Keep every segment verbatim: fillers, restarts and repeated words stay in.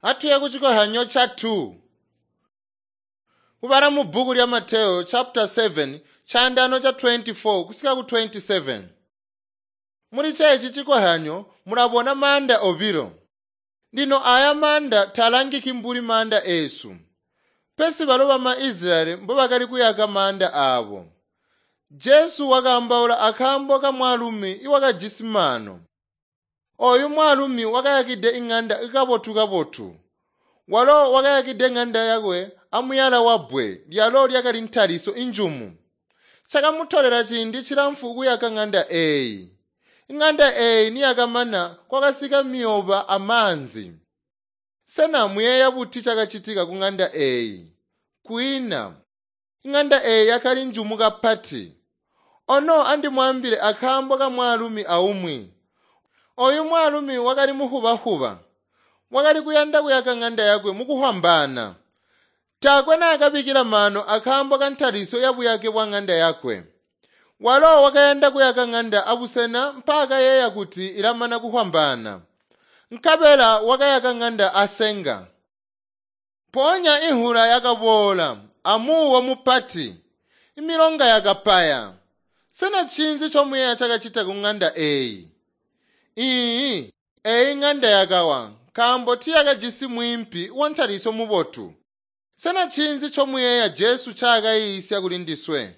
Atuye kuchikohyanyo cha two. Kubala mu bhuku lya Mateyo chapter seven chandano cha twenty-four kusika ku twenty-seven. Muli chechi chikohyanyo mulabona manda obilo. Lino aya manda talangiki mbuli manda esu. Pesi balo bama Israeli mbo bakali kuyaka manda abo. Jesu wakambaula akambo ka mwaalumi iwakajisi mano. Oyu mwaalumi wakayakide ing'anda kabotu-kabotu. Walo wakayakide ng'anda yakwe amuyala wa bbwe lyalo lyakali ntaliso injumu. Chakamutolela ciindi chilamfu kuyaka ng'anda eyi. Ing'anda eyi niyakamana kwakasika miyoba amanzi. Sena muyeeya buti chakachitika ku ng'anda eyi? Kwina. Ing'anda eyi yakali njumu kapati. Ono andimwambile akambo ka mwaalumi aumwi. Oyu mwaalumi wakali muhubahuba. Wakali kuyanda kuyaka ng'anda yakwe mukuhwambana. Taakwe naakabikila mano akambo ka ntaliso ya buyake bwa ng'anda yakwe. Walo wakayanda kuyaka ng'anda abusena mpaka kuti ilamana kuhwambana. Nkabela wakayaka ng'anda asenga. Ponya ihula yakabola amuwo mupati. Imilonga yakapaya. Sena chinzi chomuyeya chakachita ku ng'anda eyi? Iyi, eyi ng'anda yakawa nkambo tiyakajisi mwimpi wa ntaliso mubotu. Sena chinzi chomuyeya Jesu chakayisya kuli ndiswe?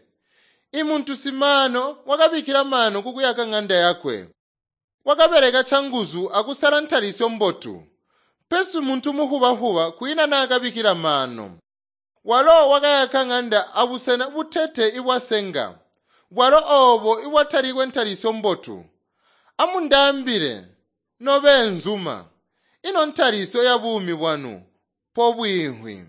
Imuntu simano wakabikila mano kukuyaka ng'anda yakwe. Wakabeleka changuzu akusala ntaliso mbotu. Pesi muntu muhubahuba kwina nakabikila mano. Walo wakayaka ng'anda abusena butete ibwasenga. Bwalo obo ibwatalikwe ntaliso mbotu. Amundambile nobenzuma ino ntaliso ya bumi bwanu po bwihwi.